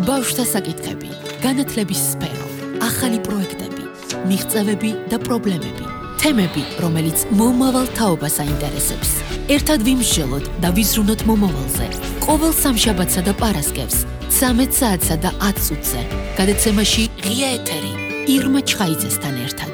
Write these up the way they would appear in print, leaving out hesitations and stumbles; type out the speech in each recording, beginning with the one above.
ბავშვთა საკითხები, განათლების სფერო, ახალი პროექტები, მიღწევები და პრობლემები, თემები, რომელიც მომავალ თაობას აინტერესებს. ერთად ვიმსჯელოთ და ვიზრუნოთ მომავალზე. ყოველ სამშაბათსა და პარასკევს 13 საათსა და 10 წუთზე. გადაცემაში ღია ეთერი ირმა ჩხაიძესთან ერთად.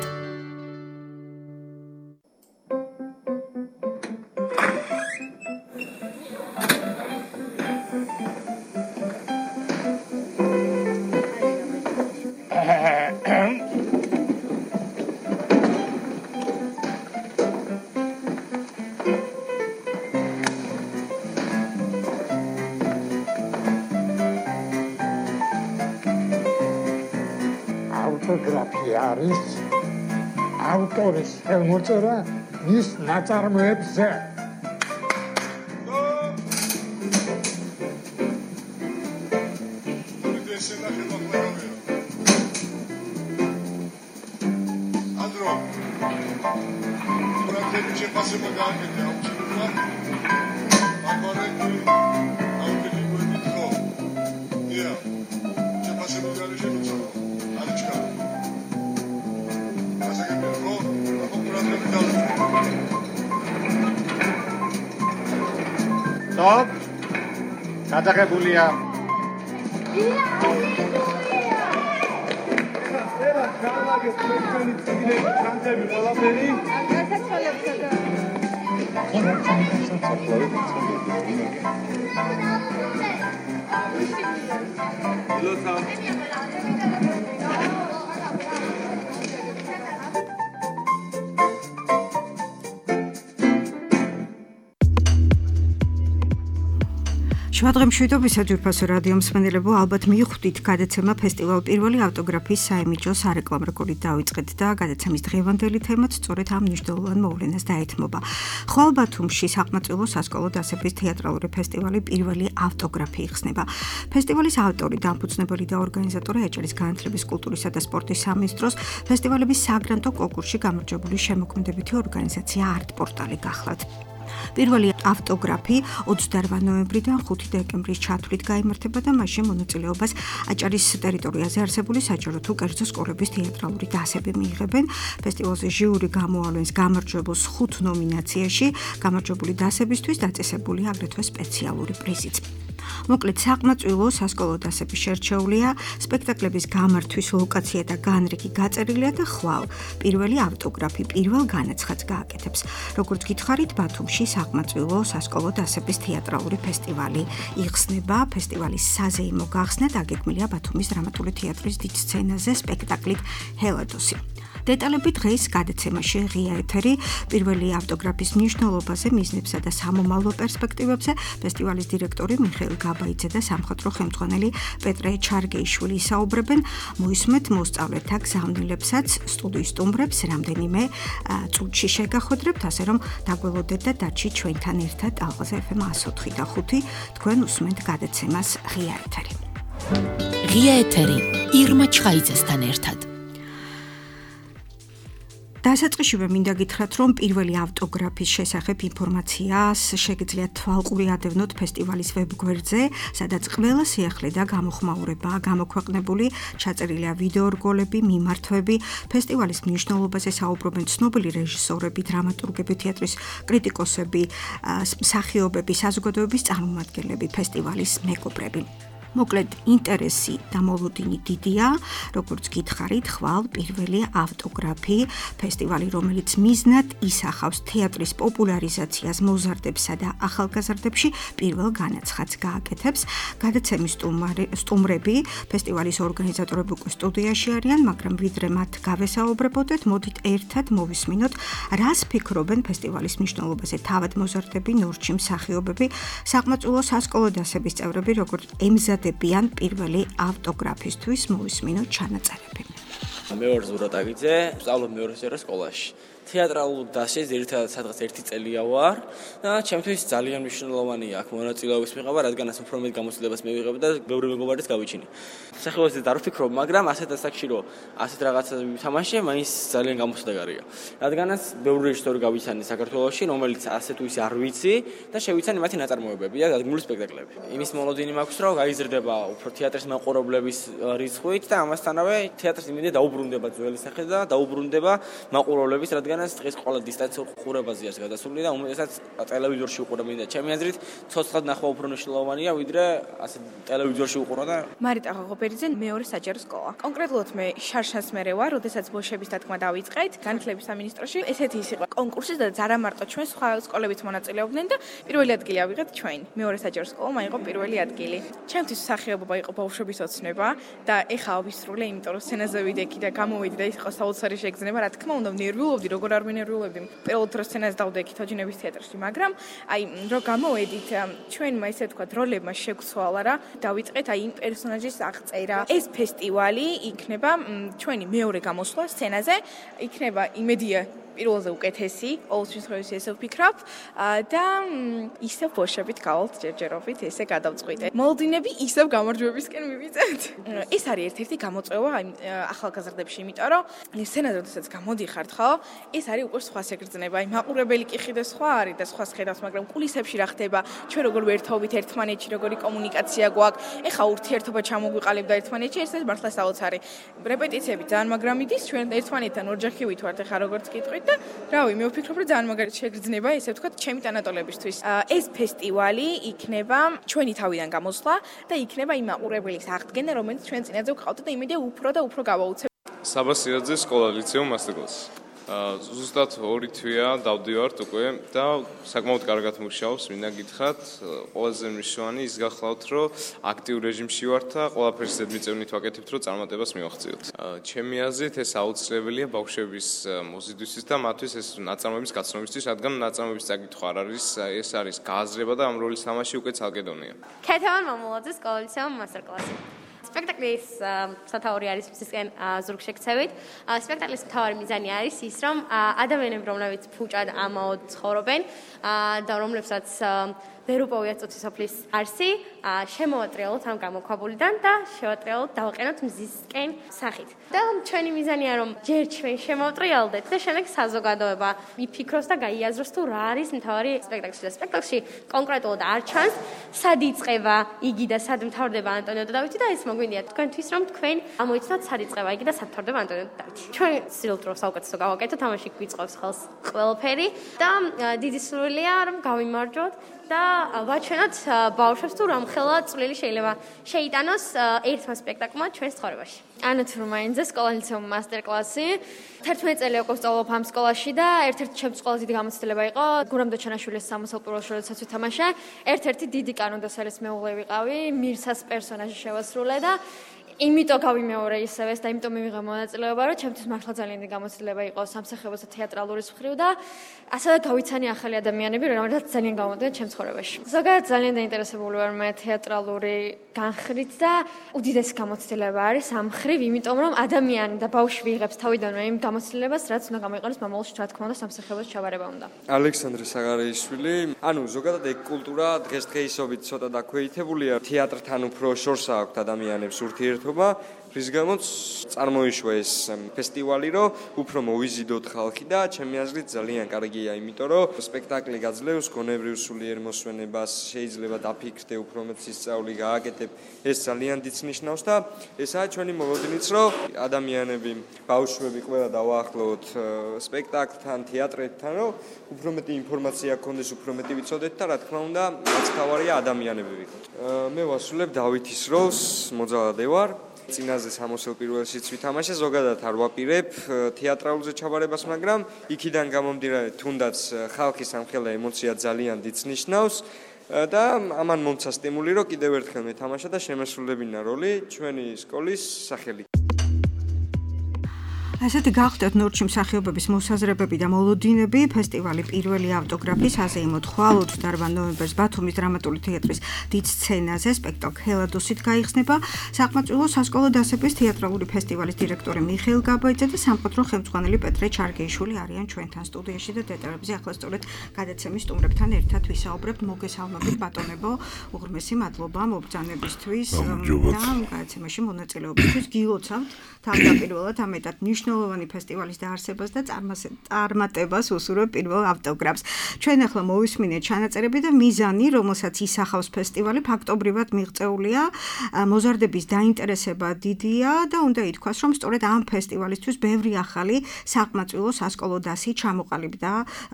ავტოგრაფია არის ავტორის ხელმოწერა მის ნაწარმოებზე. Stop! გადაღებულია. შუადღე მშვიდობისა ჯგუფასო რადიო მსმენელებო, ალბათ მიხვდით გადაცემა ფესტივალ პირველი ავტოგრაფიის საიმიჯო სარეკლამო რგოლით დავიწყეთ და გადაცემის დღევანდელი თემაც სწორედ ამ მნიშვნელოვან მოვლენას დაეთმობა. ხვალ ბათუმში საყმაწვილო სასკოლო დასების თეატრალური ფესტივალი პირველი ავტოგრაფი იხსნება. ფესტივალის ავტორი, დამფუძნებელი და ორგანიზატორი აჭარის განათლების, კულტურისა და სპორტის სამინისტროს ფესტივალების საგრანტო კონკურსში გამარჯვებული შემოქმედებითი ორგანიზაცია არტ-პორტალი გახლავთ. პირველი ავტოგრაფი 28 ნოემბრიდან 5 დეკემბრის ჩათვლით გაიმართება და მასში მონაწილეობას აჭარის ტერიტორიაზე არსებული საჯარო თუ კერძო სკოლების თეატრალური დასები მიიღებენ. ფესტივალზე ჟიური გამოავლენს გამარჯვებულს 5 ნომინაციაში, გამარჯვებული დასებისთვის დაწესებულია აგრეთვე სპეციალური პრიზიც. მოკლედ, საყმაწვილო სასკოლო დასები შერჩეულია, სპექტაკლების გამართვის ლოკაცია და განრიგი გაწერილია და ხვალ პირველი ავტოგრაფი პირველ განაცხადს გააკეთებს. როგორც გითხარით, ბათუმში საყმაწვილო სასკოლო დასების თეატრალური ფესტივალი იხსნება. ფესტივალის საზეიმო გახსნა დაგეგმილია ბათუმის დრამატული თეატრის დიდ სცენაზე სპექტაკლით ჰელადოსი. დეტალები დღეს გადაცემაში ღია ეთერი პირველი ავტოგრაფის მნიშვნელობაზე, მიზნებსა და სამომავლო პერსპექტივებზე ფესტივალის დირექტორი მიხეილ გაბაიძე და სამხატვრო ხელმძღვანელი პეტრე ჩარგეიშვილი ისაუბრებენ. მოისმენთ მოსწავლეთა გზავნილებსაც, სტუდიის სტუმრებს რამდენიმე წუთში შეგახოდრებთ, ასე რომ დაგველოდეთ და დარჩით ჩვენთან ერთად ალღაზე FM 104 და 5. თქვენ უსმენთ გადაცემას ღია ეთერი. ღია ეთერი ირმა ჩხაიძესთან ერთად. დასაწყისშივე მინდა გითხრათ, რომ პირველი ავტოგრაფის შესახებ ინფორმაციას შეგიძლიათ თვალყური ადევნოთ ფესტივალის ვებგვერდზე, სადაც ყველა სიახლე და გამოხმაურებაა გამოქვეყნებული, ჩაწერილია ვიდეო რგოლები, მიმართვები, ფესტივალის მნიშვნელობაზე საუბრობენ ცნობილი რეჟისორები, დრამატურგები, თეატრის კრიტიკოსები, მსახიობები, საზოგადოების წარმომადგენლები, ფესტივალის მეგობრები. მოკლედ, ინტერესი და მოლოდინი დიდია, როგორც გითხარით, ხვალ პირველი ავტოგრაფი, ფესტივალი, რომელიც მიზნად ისახავს თეატრის პოპულარიზაციას მოზარდებსა და ახალგაზრდებში, პირველ განაცხადს გააკეთებს. გადაცემის სტუმრები, ფესტივალის ორგანიზატორები უკვე სტუდიაში არიან, მაგრამ ვიდრე მათ გავესაუბრებოდეთ, მოდით ერთად მოვისმინოთ, რას ფიქრობენ ფესტივალის მნიშვნელობაზე თავად მოზარდები, ნორჩი მსახიობები, საყმაწვილო სასკოლო დასების წევრები, როგორც ემზადებიან პირველი ავტოგრაფისთვის. მოვისმინოთ ჩანაწერები. მე ვარ ზურატაგიძე, ვსწავლობ მეორე სკოლაში. თეატრალურ დასში ძირითადად სადღაც 1 წელია ვარ და ჩემთვის ძალიან მნიშვნელოვანია აქ მონაწილეობის მიღება, რადგანაც უფრო მეტ გამოცდილებას მივიღებ და ბევრი მეგობარის გავიჩინე. სახელმწიფოზე არ ვფიქრობ, მაგრამ ასეთ ასაკში რომ ასეთ რაღაცას ვითამაშე, მაინც ძალიან გამოსადეგარია. რადგანაც ბევრი რეჟისორი გავიცანე საქართველოში, რომელიც ასე თუ ისე არ ვიცი და შევიცანე მათი ნაწარმოებები და დადგმული სპექტაკლები. იმის მოლოდინი მაქვს, რომ გაიზრდება უფრო თეატრის მაყურებლების რიცხვით და ამასთანავე თეატრის იმედია დაუბრუნდება ძველი სახე და დაუბრუნდება მაყურებლების, რადგანაც დღეს ყველა დისტანციურ ყურებაზეა გადასული და უმეტესად ტელევიზორში უყურებენ და ჩემი აზრით ცოცხლად ნახვა უფრო მნიშვნელოვანია, ვიდრე ასე ტელევიზორში უყურა და მარიტა ღოღობერიძე მეორე საჯარო სკოლა. კონკრეტულად მე შარშანს მერე ვარ, როდესაც ბოლშების დათქმა დავიწყეთ განათლების სამინისტროში. ესეთი ის იყო კონკურსი და არა მარტო ჩვენ სხვა სკოლებიც მონაწილეობდნენ და პირველი ადგილი ავიღეთ ჩვენ. მეორე საჯარო სკოლა მაიღო პირველი ადგილი. ჩემთვის მსახიობობა იყო ბავშვობის ოცნება და ეხა ავისრულე, იმიტომ რომ სცენაზე ვიდექი და გამოვედი და ის იყო საოცარი შეგრძნება, რა თქმა უნდა, ნერვიულობდი, როგორ არ ვინერვიულებდი. პირველ დრო სცენაზე დავდექი თოჯინების თეატრში, მაგრამ აი რო გამოვედით, ჩვენმა ისე ვთქვათ, როლებმა შეგვცვალა რა, დავიწყეთ აი იმ პერსონაჟის აღწერა. ეს ფესტივალი იქნება ჩვენი მეორე გამოსვლა სცენაზე, იქნება იმედია პირველზე უკეთესი, ყოველთვის ხოვის ესე ვფიქრობ და ისევ ბოშებით გავალთ ჯერჯერობით ესე გადავწყვიტე. მოლოდინები ისევ გამარჯვებისკენ მივიწევთ. ეს არის ერთ-ერთი გამოწვევა ახალგაზრდებში, იმიტომ რომ სცენაზე როდესაც გამოდიხართ, ხო? ეს არის უკვე სხვა შეგრძნება. აი მაყურებელი კი ხიდე სხვა არის და სხვა ხედავს, მაგრამ კულისებში რა ხდება? ჩვენ როგორ ვერთობით ერთმანეთში, როგორი კომუნიკაცია გვაქვს? ეხა ურთიერთობა ჩამოგვიყალიბდა ერთმანეთში, ეს მართლა საოცარი. რეპეტიციები ძალიან მაგრამ იდის, ჩვენ ერთმანეთთან ორჯახი ვითვართ, ეხა როგორც კითხვით და რავი, მე ვფიქრობ, რომ ძალიან მაგარი შეგრძნება, ესე ვთქვათ, ჩემი ტანატოლებისთვის. ეს ფესტივალი იქნება ჩვენი თავიდან გამოსვლა და იქნება იმ მაყურებლის აღდგენა, რომელიც ჩვენ წინაზე ვყავთ და იმედია უფრო და უფრო გავაუცებ. საბა სირაძე სკოლა ლიცეუმ მასტერკლასი. ზუსტად 2 თვეა დავდივართ უკვე და საკმაოდ კარგად მუშაობს, მინდა გითხრათ, ყველაზე მნიშვნელოვანი ის გახლავთ, რომ აქტიურ რეჟიმში ვართ და ყველაფერს ზედმიწევნით ვაკეთებთ, რომ წარმატებას მივაღწიოთ. ჩემი აზრით ეს აუცილებელია ბავშვების მოზიდვისთვის და მათთვის ეს ნაწარმოების გაცნობისთვის, რადგან ნაწარმოების წაკითხვა არ არის, ეს არის გააზრება და ამ როლის თამაში უკვე ცალკე დონეა. ქეთევან მამულაძე სკოლა ლიცეუმ მასტერკლასი. სპექტაკლის სათაური არის მისგან ზურგშექცევით. სპექტაკლის მთავარი მიზანი არის ის, რომ ადამიანები, რომლებიც ფუჭად ამაოდ ცხოვრობენ და რომლებსაც ვერ უპოვიათ წუთისოფლის არსი, შემოვატრიალოთ ამ გამოქვაბულიდან და შევატრიალოთ დავაყენოთ მზისკენ სახით. და ჩვენი მიზანია, რომ ჯერ ჩვენ შემოვატრიალდეთ და შემდეგ საზოგადოება იფიქროს და გაიაზროს თუ რა არის მთავარი სპექტაკლში. და სპექტაკლში კონკრეტულად არ ჩანს, სად იწყება იგი და სად მთავრდება ანტონიო და დავითი და ეს მოგვინდია თქვენთვის, რომ თქვენ ამოიცნოთ სად იწყება იგი და სად მთავრდება ანტონიო და დავითი. ჩვენ ვცდილობთ, რომ საუკეთესო გავაკეთოთ, ამაში გვიწყობს ხელს ყველაფერი და დიდი სურვილია, რომ გავიმარჯვოთ და ვაჩვენოთ ბავშვებს თუ რამხელა წვლილი შეიძლება შეიტანოს ერთმა სპექტაკლმა ჩვენს ცხოვრებაში. ანა თურმაინძე, სკოლა ლიცეუმ მასტერკლასი. 11 წელი უკვე ვსწავლობ ამ სკოლაში და ერთ-ერთი ჩემთვის ყველაზე დიდი გამოცდილება იყო გურამ დოჩანაშვილის სამოსელ პირველ როდესაც ვითამაშე. ერთ-ერთი დიდი კანონდოსელის მეუღლე ვიყავი, მირსას პერსონაჟი შევასრულე და იმიტომ გავიმეორე ისევ ეს და იმიტომ მივიღე მონაწილეობა, რომ ჩემთვის მართლა ძალიან დიდი გამოცდილება იყო სამსახიობო და თეატრალურის მხრივ და ასევე გავიცანი ახალი ადამიანები, რომელთაც ძალიან გამოდიან ჩემს ცხოვრებაში. ზოგადად ძალიან დაინტერესებული ვარ მე თეატრალური განხრით და უდიდესი გამოცდილება არის ამ მხრივ, იმიტომ რომ ადამიანი და ბავშვი იღებს თავიდანვე იმ გამოცდილებას, რაც უნდა გამოიყენოს მომავალში, რა თქმა უნდა, სამსახიობოს ჩაბარება უნდა. ალექსანდრე საგარეიშვილი, ზოგადად ეგ კულტურა დღესდღეობით ცოტა დაქვეითებულია, თეატრთან უფრო შორს აქვთ ადამიანებს ურთიერთობა, რის გამოც წარმოიშვა ეს ფესტივალი, რომ უფრო მოვიზიდოთ ხალხი და ჩემი აზრით ძალიან კარგია, იმიტომ რომ სპექტაკლი გაძლევს გონებრივ სულიერ მოსვენებას, შეიძლება დაფიქრდე, უფრო მეტ სისწავლე გააკეთებ, ეს ძალიან დიდ ნიშნავს და ესაა ჩვენი მოლოდინიც, რომ ადამიანები, ბავშვები ყველა დავაახლოვოთ სპექტაკლთან, თეატრთან, რომ უფრო მეტი ინფორმაცია გქონდეს, უფრო მეტი ვიცოდეთ და რა თქმა უნდა, რაც თავარია ადამიანები ვიყოთ. მე ვასრულებ დავითის როლს, მოძალადე ვარ. წინაზე სამოსელ პირველშიც ვითამაშე, ზოგადად არ ვაპირებ თეატრალურზე ჩაბარებას, მაგრამ იქიდან გამომდინარე, თუნდაც ხალხის ამხელა ემოცია ძალიან დიდ ნიშნავს და ამან მომცა სტიმული, რომ კიდევ ერთხელ მეთამაშა და შემესრულებინა როლი ჩვენი სკოლის სახელი. ასეთი გახდათ ნორჩი მსახიობების მოსაზრებები და მოლოდინები ფესტივალი პირველი ავტოგრაფის აზეიმოდ ხვალ 28 ნოემბერს ბათუმის დრამატული თეატრის დიდ სცენაზე სპექტაკლ ჰელადოსით გაიხსნება საყმაწვილო სასკოლო დასების თეატრალური ფესტივალის დირექტორი მიხეილ გაბაიძე და სამხატვრო ხელმძღვანელი პეტრე ჩარგეიშვილი არიან ჩვენთან სტუდიაში და დეტალებზე ახლა სწორედ გადაცემის სტუმრებთან ერთად ვისაუბრებთ. მოგესალმებით ბატონებო, უღრმესი მადლობა მობრძანებისთვის და გადაცემაში მონაწილეობისთვის. გილოცავთ თავდაპირველად ამეტად მნიშვნელოვანი ფესტივალის დაარსებას და წარმატებას უსურვებ პირველ ავტოგრაფს. ჩვენ ახლა მოვისმინეთ ჩანაწერები და მიზანი, რომელსაც ისახავს ფესტივალი, ფაქტობრივად მიღწეულია. მოზარდების დაინტერესება დიდია და უნდა ითქვას, რომ სწორედ ამ ფესტივალისთვის ბევრი ახალი საყმაწვილო სასკოლო დასი ჩამოყალიბდა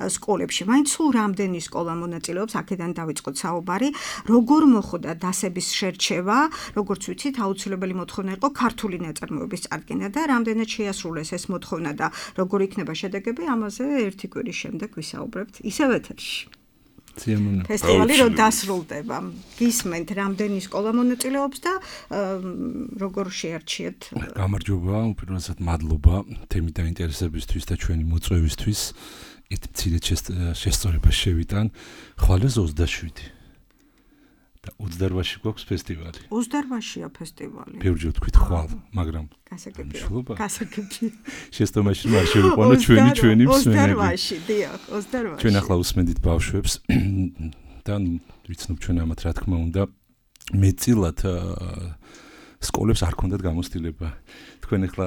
სკოლებში. მაინც სულ რამდენი სკოლა მონაწილეობს, აქედან დავიწყოთ საუბარი. როგორ მოხდა დასების შერჩევა, როგორც ვიცით, აუცილებელი მოთხოვნა იყო ქართული ნაწარმოების წარდგენა და რამდენად შეასრულეს ეს მოთხოვნა და როგორ იქნება შედეგები, ამაზე ერთი კვირის შემდეგ ვისაუბრებთ ისევ ეთერში. ფესტივალი რომ დასრულდება, გისმენთ რამდენი სკოლა მონაწილეობს და როგორ შეარჩიეთ? გამარჯობა, უპირველესად მადლობა თემით დაინტერესებისთვის და ჩვენი მოწვევისთვის. ერთ მცირე შესწორებას შევიტან, ხვალეს 27 და 28-ში გვაქვს ფესტივალი. 28-ია ფესტივალი. ბევრჯერ თქვით ხვალ, მაგრამ გასაგებია. შესწორებაში არ შევიყვანო ჩვენი მსმენელი. 28-ში, დიახ, 28-ში. ჩვენ ახლა უსმენდით ბავშვებს და ვიცნობ ჩვენ ამათ რა თქმა უნდა მეწილად სკოლებს არ ქონდათ გამოცდილება. თქვენ ახლა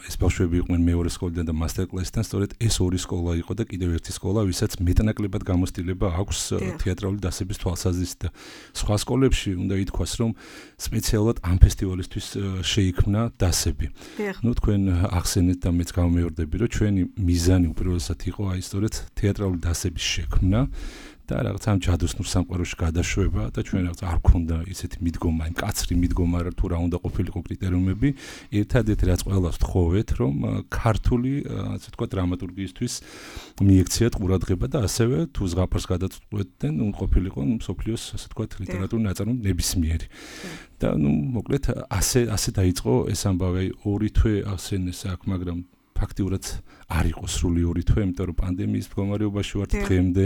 ეს ბავშვები იყვნენ მეორე სკოლიდან და მასტერკლასიდან, სწორედ ეს ორი სკოლა იყო და კიდევ ერთი სკოლა, ვისაც მეტნაკლებად გამოცდილება აქვს თეატრალური დასების თვალსაზრისით და სხვა სკოლებში უნდა ითქვას, რომ სპეციალურად ამ ფესტივალისთვის შეიქმნა დასები. ნუ თქვენ ახსენეთ და მეც გამომეორდები, რომ ჩვენი მიზანი უპირველესად იყო აი სწორედ თეატრალური დასების შექმნა. და რაღაც ამ ჯადოსნურ სამყაროში გადაშვება და ჩვენ რაღაც არ ქონდა ისეთი მიდგომა, მკაცრი მიდგომა თუ რა უნდა ყოფილიყო კრიტერიუმები. ერთადერთი რაც ყველას ვთხოვეთ, რომ ქართული, ასე ვთქვათ, დრამატურგიისთვის მიექციათ ყურადღება და ასევე თუ ზღაპარს გადაწყვეტდნენ, ყოფილიყო მსოფლიოს, ასე ვთქვათ, ლიტერატურული ნაწარმოები ნებისმიერი. და მოკლედ ასე დაიწყო ეს ამბავი, ორი თვე ახსენეს აქ, მაგრამ ფაქტიურად არ იყო სრული ორი თვე, იმიტომ რომ პანდემიის მდგომარეობაში ვართ დღემდე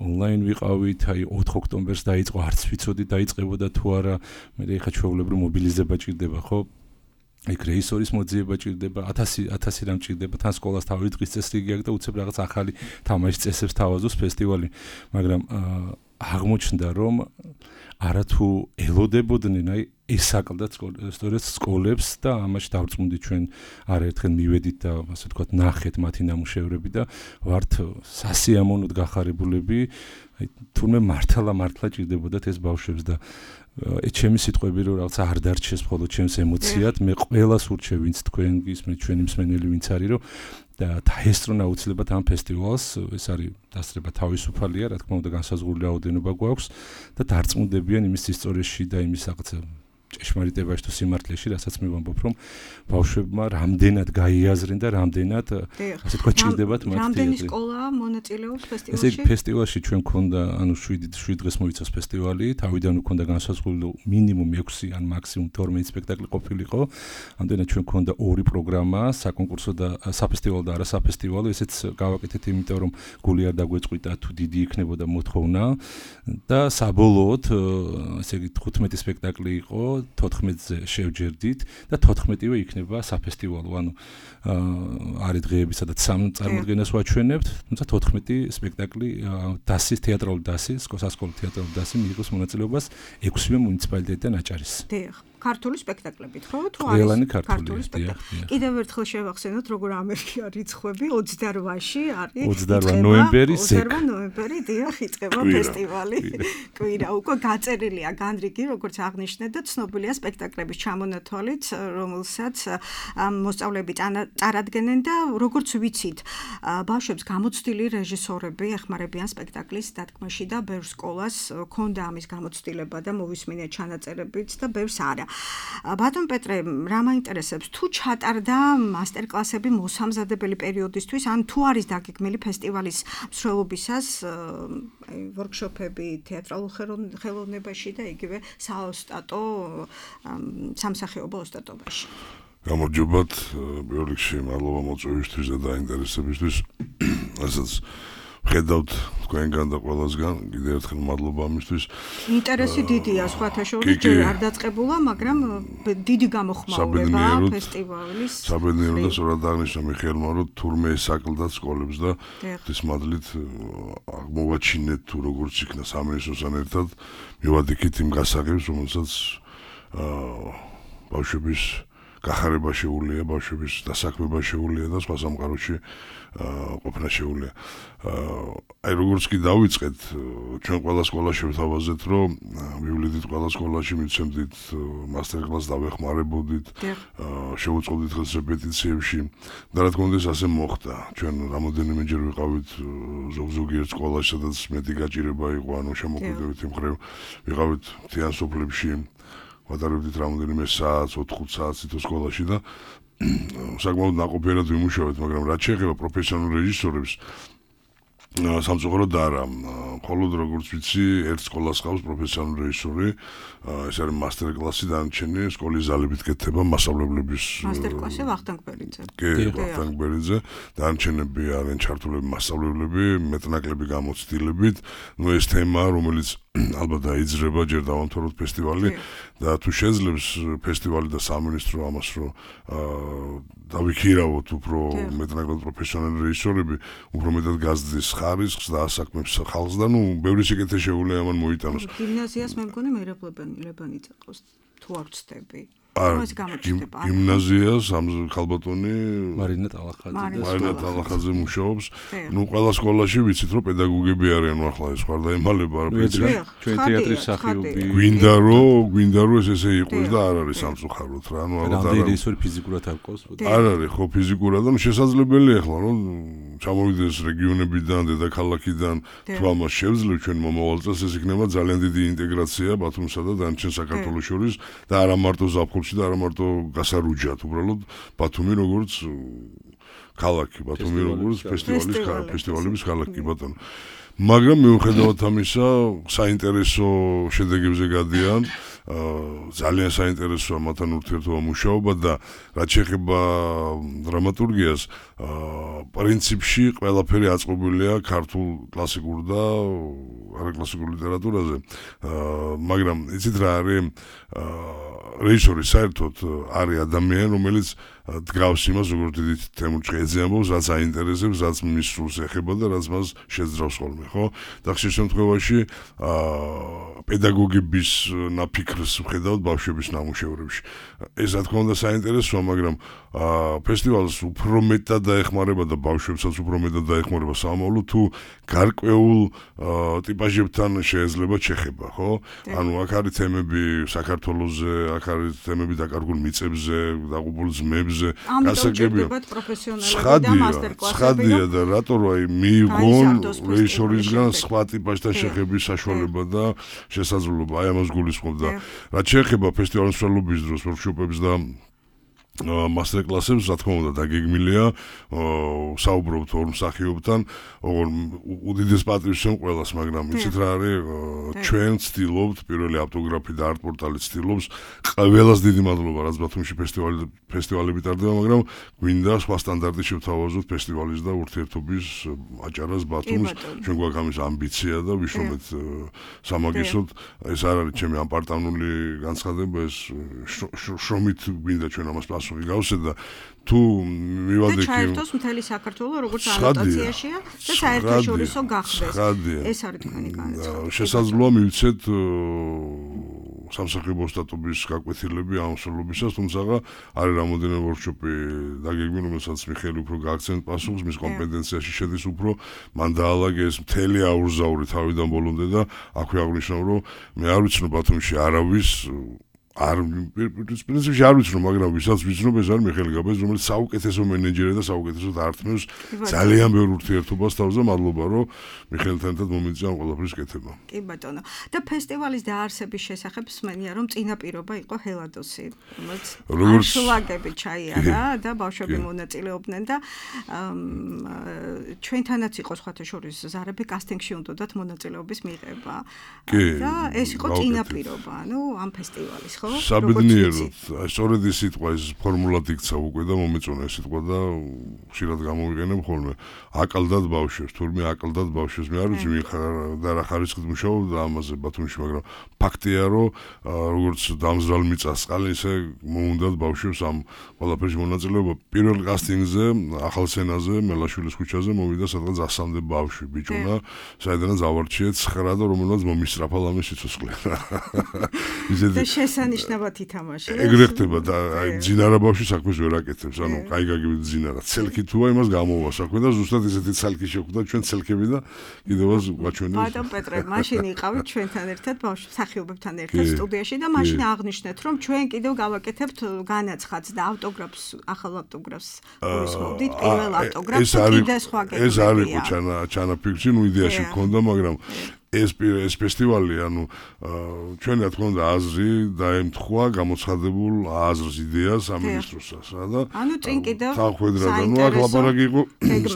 ონლაინ ვიყავით, აი 4 ოქტომბერს დაიწყო, არც ვიცოდი დაიწყებოდა თუ არა, მე ხა ჩვეულებრივ მობილიზება ჭირდება, ხო? იქ რეისორის მოძიება ჭირდება, 1000 რამ ჭირდება, თან სკოლას თავი დღის წესრიგი აქვს და უცებ რაღაც ახალი თამაშის წესებს თავაზობს ფესტივალი, მაგრამ აღმოჩნდა რომ არათუ ელოდებოდნენ აი ესაკლდათ სწორედ სკოლებს და ამაში დავწმუნდით ჩვენ არაერთხელ მივედით და ასე ვთქვათ ნახეთ მათი ნამუშევრები და ვართ სასიამოვნოდ გახარებულები აი თურმე მართლა ჭირდებოდათ ეს ბავშვებს და ჩემი სიტყვები რომ რაღაცა არ დარჩეს მხოლოდ ჩემს ემოციად მე ყველას ურჩევ ვინც თქვენ გისმენთ ჩვენი მსმენელი ვინც არის რომ და დაესწრონა აუცილებლად ამ ფესტივალს ეს არის დასწრება თავისუფალია რა თქმა უნდა განსაზღვრული რაოდენობა გვაქვს და დარწმუნდებიან იმის ისტორიაში და იმის რაღაცა ჭეშმარიტებაში თუ სიმართლეში რასაც მე ვამბობ რომ ბავშვებმა რამდენად გაიაზრენ და რამდენად ასე თქვა ჭირდებათ მათ რამდენი სკოლა მონაწილეობს ფესტივალში? ესე ფესტივალში ჩვენ გქონდა ანუ 7 დღეს მოიცავს ფესტივალი თავიდან გქონდა განსაზღვრული მინიმუმ 6 ან მაქსიმუმ 12 სპექტაკლი ყოფილიყო ამდენად ჩვენ გქონდა 2 პროგრამა საკონკურსო და საფესტივალო და არასაფესტივალო ესეც გავაკეთეთ იმიტომ რომ გული არ დაგვეწყვიტა თუ დიდი იქნებოდა მოთხოვნა და საბოლოოდ ესე იგი 15 სპექტაკლი იყო 14-ზე შევჯერდით და 14-ვე იქნება საფესტივალო. ანუ არის დღეები, სადაც სამ წარმოდგენას ვაჩვენებთ, თუმცა 14 სპექტაკლი დასის თეატრალური დასის, სასკოლო თეატრალური დასი მიიღოს მონაწილეობას 6-ვე მუნიციპალიტეტიდან აჭარის. დიახ. ქართული სპექტაკლებით, ხო? თუ არის ქართული სპექტაკლი. კიდევ ერთხელ შევახსენოთ, როგორ ამერიკა რიცხვები 28-ში არის. 28 ნოემბერი, 28 ნოემბერი, დიახ, იწყება ფესტივალი. კვირა, უკვე გაწერილია განრიგი, როგორც აღნიშნეთ და ცნობილია სპექტაკლების ჩამონათვალით, რომელსაც მოსწავლეები წარადგენენ და როგორც ვიცით, ბავშვებს გამოცდილი რეჟისორები ეხმარებიან სპექტაკლის დადგმაში და ბევრ სკოლას ქონდა ამის გამოცდილება და მოვისმინეთ ჩანაწერებიც და ბევრს არა. ბატონ პეტრე, რა მაინტერესებს, თუ ჩატარდა მასტერკლასები მოსამზადებელი პერიოდისთვის, ან თუ არის დაგეგმილი ფესტივალის მსვლელობისას ვორქშოპები თეატრალურ ხელოვნებაში და იგივე საოსტატო სამსახიობო ოსტატობაში? გამარჯობათ, პირველ რიგში მადლობა მოწვევისთვის და დაინტერესებისთვის. ასაც ხედავთ თქვენგან და ყველასგან, კიდევ ერთხელ მადლობა ამისთვის. ინტერესი დიდია, სხვათა შორის ჯერ არ დაწყებულა, მაგრამ დიდი გამოხმაურებაა ფესტივალის. საბედნიერო და სწორად აღნიშნა მიხეილმა, რომ თურმე ესაკლდათ სკოლებს და ღვთის მადლით აღმოვაჩინეთ თუ როგორც იქნა სამინისტროსთან ერთად მივადიქით იმ გასაღებს, რომელსაც ბავშვების გახარება შეუძლია, ბავშვების დასაქმება შეუძლია და სხვა სამყაროში ყოფნა შეუძლია. აი როგორც კი დავიწყეთ, ჩვენ ყველა სკოლაში ვთავაზეთ, რომ მივლიდით ყველა სკოლაში, მიცემდით მასტერკლასს, დავეხმარებოდით, შევუწყობდით ხელს რეპეტიციებში და რა თქმა უნდა ეს ასე მოხდა. ჩვენ რამოდენიმეჯერ ვიყავით ზოგ-ზოგიერთ სკოლაში, სადაც მეტი გაჭირება იყო, ანუ შემოგვიდებით იმ მხრივ, ვიყავით მთიან სოფლებში. ვატარებდით რამოდენიმე საათს, 4-5 საათს თითო სკოლაში და საკმაოდ ნაყოფიერად ვიმუშავეთ, მაგრამ რაც შეეხება პროფესიონალურ რეჟისორებს, სამწუხაროდ არა. მხოლოდ როგორც ვიცი, ერთ სკოლას ყავს პროფესიონალური რეჟისორი, ეს არის მასტერკლასი დანარჩენი სკოლის ზალებით კეთება მასწავლებლების მასტერკლასი ვახტანგ ბერიძე. კი, ვახტანგ ბერიძე, დანარჩენები არიან ჩართულები მასწავლებლები, მეტნაკლები გამოცდილებით. ნუ ეს თემა, რომელიც ალბათ დაიძრება, ჯერ დავამთავროთ ფესტივალი და თუ შეძლებს ფესტივალი და სამინისტრო ამას რომ დავიქირავოთ უფრო მეტნაკლად პროფესიონალი რეჟისორები, უფრო მეტად გაზრდის ხარისხს და ასაქმებს ხალხს და ნუ ბევრი სიკეთე შეუძლია ამან მოიტანოს. გიმნაზიას მე მგონი მერაბლებანი წაყავს თუ არ ვწდები. გიმნაზიას ხალბატონი მარინა ტალახაძე მუშაობს. ნუ ყველა სკოლაში ვიცით რომ პედაგოგები არიან ახლა ეს ხარ და ემალება არ ვიცი. ჩვენ თეატრის სახიობი გვინდა რომ ესე იყოს და არ არის სამწუხაროდ რა. ანუ ალბათ არ არის ისორი ფიზიკურად არ ყავს. არ არის ხო ფიზიკურად და შესაძლებელია ახლა რომ ჩამოვიდეს რეგიონებიდან, დედაქალაქიდან, თუ ამას შევძლებ ჩვენ მომავალ წელს ეს იქნება ძალიან დიდი ინტეგრაცია ბათუმსა და დანარჩენ საქართველოს შორის და არა მარტო ზაფხულში და არა მარტო გასარუჯად, უბრალოდ ბათუმი როგორც ქალაქი, ბათუმი როგორც ფესტივალების ქალაქი ბატონო. მაგრამ მიუხედავად ამისა, საინტერესო შედეგებზე გადიან. ძალიან საინტერესოა მათთან ურთიერთობა მუშაობა და რაც შეეხება დრამატურგიას, პრინციპში ყველაფერი აწყობილია ქართულ კლასიკურ და არაკლასიკურ ლიტერატურაზე. მაგრამ იცით რა არის რეჟისორი საერთოდ არის ადამიანი, რომელიც დგავს იმას, როგორც დიდი თემურ ჭეძე ამბობს, რაც აინტერესებს, რაც მის სულს ეხება და რაც მას შეძრავს ხოლმე, ხო? და ხშირ შემთხვევაში პედაგოგების ნაფიქრს ვხედავთ ბავშვების ნამუშევრებში. ეს რა თქმა უნდა საინტერესოა, მაგრამ ფესტივალს უფრო მეტად დაეხმარება და ბავშვებსაც უფრო მეტად დაეხმარება სამომავლო თუ გარკვეულ ტიპაჟებთან შეიძლება შეხება, ხო? ანუ აქ არის თემები საქართველოზე, აქ არის თემები დაკარგულ მიწებზე, დაღუპულ ძმებზე, გასაგებია. ცხადია და რატო რა მიიღონ რეჟისორისგან სხვა ტიპაჟთან შეხების საშუალება და შესაძლებლობა, აი ამას გულისხმობ და რაც შეეხება ფესტივალის მსვლელობის დროს ვორქშოპებს და მასტერკლასებს, რა თქმა უნდა, დაგეგმილია, საუბრობთ ორ მსახიობთან, უდიდეს პატივს შევ ყველას, მაგრამ იცით რა არის, ჩვენ ვცდილობთ, პირველი ავტოგრაფი და არტ-პორტალი ვცდილობს, ყველას დიდი მადლობა, რაც ბათუმში ფესტივალები ტარდება, მაგრამ გვინდა სხვა სტანდარტი შევთავაზოთ ფესტივალის და ურთიერთობის აჭარას ბათუმს, ჩვენ გვაქვს ამის ამბიცია და ვიშრომეთ სამაგისტროთ, ეს არ არის ჩემი ამპარტანული განცხადება, ეს შრომით გვინდა ჩვენ ამას გავსე და თუ მივადექი ჩაერთოს მთელი საქართველოს როგორც ანოტაციაშია და საერთაშორისო გახდეს. ეს არის თქვენი განაცხადება. შესაძლოა მივცეთ სამსახიობო სტატუების გაკვეთილები ამ მსვლელობისას, თუმცა არის რამოდენიმე ვორქშოპი დაგეგმილი, რომელსაც მიხეილი უფრო გააქცენტ პასუხს, მის კომპეტენციაში შედის უფრო, მან დაალაგე ეს მთელი აურზაური თავიდან ბოლომდე და აქვე აღნიშნავ, რომ მე არ ვიცნობ ბათუმში არავის პრინციპში არ ვიცნობ, მაგრამ ვისაც ვიცნობ, ეს არის მიხეილ გაბაძე, რომელიც საუკეთესო მენეჯერია და საუკეთესო დარტყმევს ძალიან ბევრ ურთიერთობას თავს და მადლობა, რომ მიხეილთან ერთად მომიწია ამ ყველაფრის კეთება. კი ბატონო. და ფესტივალის დაარსების შესახებ სმენია, რომ წინაპირობა იყო ჰელადოსი, რომელიც შლაგები ჩაიარა და ბავშვები მონაწილეობდნენ და ჩვენთანაც იყო სხვათა შორის ზარები კასტინგში უნდათ მონაწილეობის მიღება. და ეს იყო წინაპირობა, ანუ ამ ფესტივალის, ხო? ხო? საბედნიეროდ, სწორედ ის სიტყვა, ეს ფორმულად იქცა უკვე და მომეწონა ეს სიტყვა და ხშირად გამოვიყენებ ხოლმე. აკალდად ბავშვებს, თურმე აკალდად ბავშვებს. მე არ ვიცი და რა ხარისხით მუშაობდა ამაზე ბათუმში, მაგრამ ფაქტია, რომ როგორც დამზრალ მიწასყალი, ისე მოუნდათ ბავშვებს ამ ყველაფერში მონაწილეობა. პირველ კასტინგზე, ახალ სცენაზე, მელაშვილის ქუჩაზე მოვიდა სადღაც 100-მდე ბავშვი, ბიჭუნა, საიდანაც ავარჩიეთ 9 და რომელსაც მომისწრაფა ლამის სიცოცხლე. და შესანიშნავად ითამაშა. ეგრე ხდება და აი ძინარა ბავშვი საქმეს ვერ აკეთებს, ანუ კაი გაგივით ძინარა. ცელქი თუა იმას გამოვა საქმე და ზუსტად ესეთი ცალკი შეხვდა ჩვენ ცელქები და კიდევაც გვაჩვენეს. ბატონ პეტრე, მაშინ იყავით ჩვენთან ერთად ბავშვ მსახიობებთან ერთად სტუდიაში და მაშინ აღნიშნეთ, რომ ჩვენ კიდევ გავაკეთებთ განაცხადს და ავტოგრაფს, ახალ ავტოგრაფს გულისხმობდით, პირველ ავტოგრაფს კიდე სხვა გეკეთებია. ეს არ იყო ჩანაფიქრში, ნუ იდეაში მქონდა, მაგრამ ეს ფესტივალი, ანუ ჩვენ რა თქმა უნდა აზრი დაემთხვა გამოცხადებულ აზრს, იდეას სამინისტროსაც, რა და ანუ წინ კიდევ თანხმედრად, ანუ აქ ლაპარაკი იყო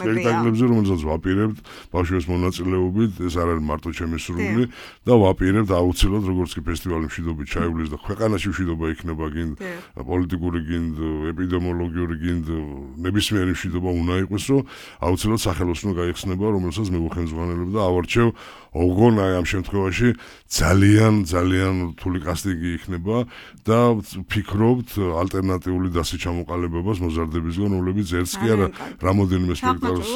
სპექტაკლებზე, რომელსაც ვაპირებთ ბავშვების მონაწილეობით, ეს არ არის მარტო ჩემი სურვილი და ვაპირებთ აუცილებლად, როგორც კი ფესტივალი მშვიდობით ჩაივლის და ქვეყანაში მშვიდობა იქნება, გინდ პოლიტიკური, გინდ ეპიდემიოლოგიური, გინდ ნებისმიერი მშვიდობა უნდა იყოს, რომ აუცილებლად სახელოსნო გაიხსნება, რომელსაც მე ვხელმძღვანელებ და ავარჩევ ოღონ აი ამ შემთხვევაში ძალიან რთული კასტინგი იქნება და ვფიქრობთ ალტერნატიული დასაჩამოყალიბებას მოზარდებისგან, რომლებიც ერთს კი არა რამოდენიმე სპექტაკლს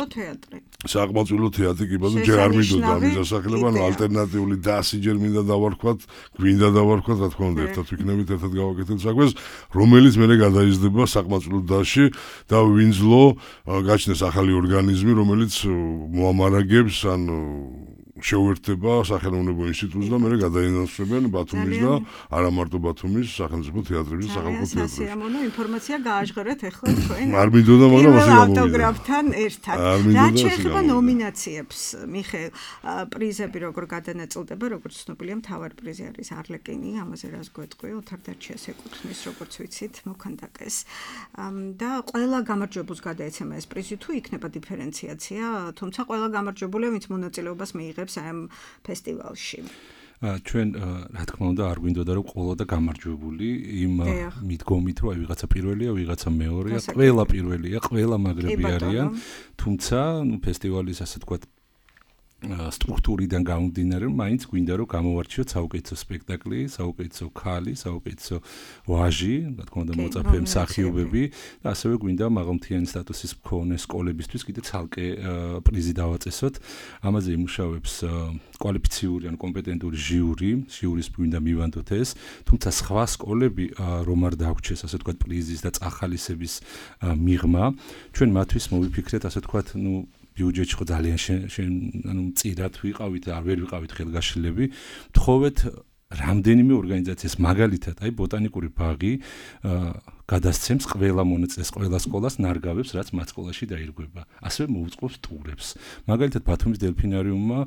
საკმაოდ თეატრი კი ბაზო ჯერ არ მინდოდა ამის დასახელება, ანუ ალტერნატიული დასი ჯერ მინდა დავარქვათ, გვინდა დავარქვათ, რა თქმა უნდა, ერთად ვიქნებით, ერთად გავაკეთებთ საქმეს, რომელიც მერე გადაიზრდება საკმაოდ დასში და ვინძლო გაჩნდეს ახალი ორგანიზმი, რომელიც მოამარაგებს ან შეუერთდება სახელმწიფო ინსტიტუტს და მე გადაინაცვლებენ ბათუმის და არა მარტო ბათუმის სახელმწიფო თეატრების და სახელმწიფო თეატრებში. სიამოვნო ინფორმაცია გააჟღერეთ ახლა თქვენ. არ მინდოდა, მაგრამ ასე გამოვიდა. ავტოგრაფთან ერთად. რაც შეეხება ნომინაციებს, მიხეილ, პრიზები როგორ გადანაწილდება, როგორც ცნობილია, მთავარი პრიზი არის არლეკინი, ამაზე რას გვეტყვი, ოთარ დარჩიას ეკუთვნის, როგორც ვიცით, მოქანდაკეს. და ყველა გამარჯვებულს გადაეცემა ეს პრიზი თუ იქნება დიფერენციაცია, თუმცა ყველა გამარჯვებულია, ვინც მონაწილეობას მიიღებს ამ ფესტივალში. ჩვენ რა თქმა უნდა არ გვინდოდა რომ ყოლა და გამარჯვებული იმ მიდგომით რომ აი ვიღაცა პირველია, ვიღაცა მეორეა, ყველა პირველია, ყველა მაგრები არიან, თუმცა ნუ ფესტივალის ასე თქვა სტრუქტურიდან გამომდინარე, მაინც გვინდა რომ გამოვარჩიოთ საუკეთესო სპექტაკლი, საუკეთესო ქალი, საუკეთესო ვაჟი, რა თქმა უნდა მოწაფე მსახიობები და ასევე გვინდა მაღალმთიანი სტატუსის მქონე სკოლებისთვის კიდე ცალკე პრიზი დავაწესოთ. ამაზე იმუშავებს კვალიფიციური ან კომპეტენტური ჟიურის გვინდა მივანდოთ ეს, თუმცა სხვა სკოლები რომ არ დაგვჩეს ასე თქვა პრიზის და წახალისების მიღმა, ჩვენ მათთვის მოვიფიქრეთ ასე თქვა, ნუ ბიუჯეტი ხო ძალიან ანუ მწირად ვიყავით, არ ვერ ვიყავით ხელგაშლები, თხოვეთ რამდენიმე ორგანიზაციას, მაგალითად, აი ბოტანიკური ბაღი გადასცემს ყველა მონაწილეს, ყველა სკოლას ნარგავებს, რაც მათ სკოლაში დაირღვება. ასევე მოუწყობს ტურებს. მაგალითად, ბათუმის დელფინარიუმმა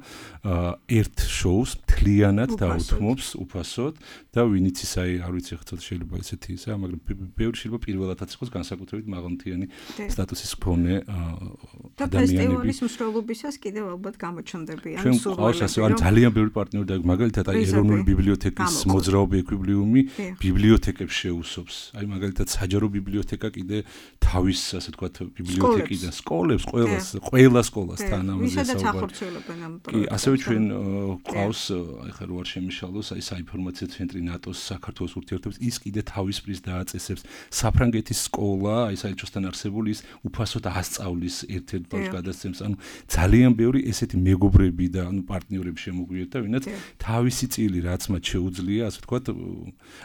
ერთ შოუს მთლიანად დაუთმობს უფასოდ და ვინიც ის აი არ ვიცი ხა ცოტა შეიძლება ესეთი ისა, მაგრამ ბევრი შეიძლება პირველადაც იყოს განსაკუთრებით მაღალმთიანი სტატუსის მქონე ადამიანები. და ფესტივალის მსვლელობისას კიდევ ალბათ გამოჩნდებიან სურვილები. ჩვენ ძალიან ბევრი პარტნიორი და მაგალითად აი ეროვნული ბიბლიოთეკის მოძრაობი ეკვიბლიუმი ბიბლიოთეკებს შეუსობს. აი მაგალითად საჯარო ბიბლიოთეკა კიდე თავის ასე თქვა ბიბლიოთეკიდან სკოლებს ყველა სკოლასთან ამაზე საუბარი. კი, ასევე ჩვენ ყავს ახლა რო არ შემიშალოს აი საინფორმაციო ცენტრი ნატოს საქართველოს ურთიერთობებს, ის კიდე თავის პრიზს დააწესებს. საფრანგეთის სკოლა, აი საერთოსთან არსებული ის უფასოდ ასწავლის ერთ-ერთ ბავშვს გადასცემს. ანუ ძალიან ბევრი ესეთი მეგობრები და ანუ პარტნიორები შემოგვიერთდა, ვინაც თავისი წილი რაც მათ შეუძლია, ასე თქვა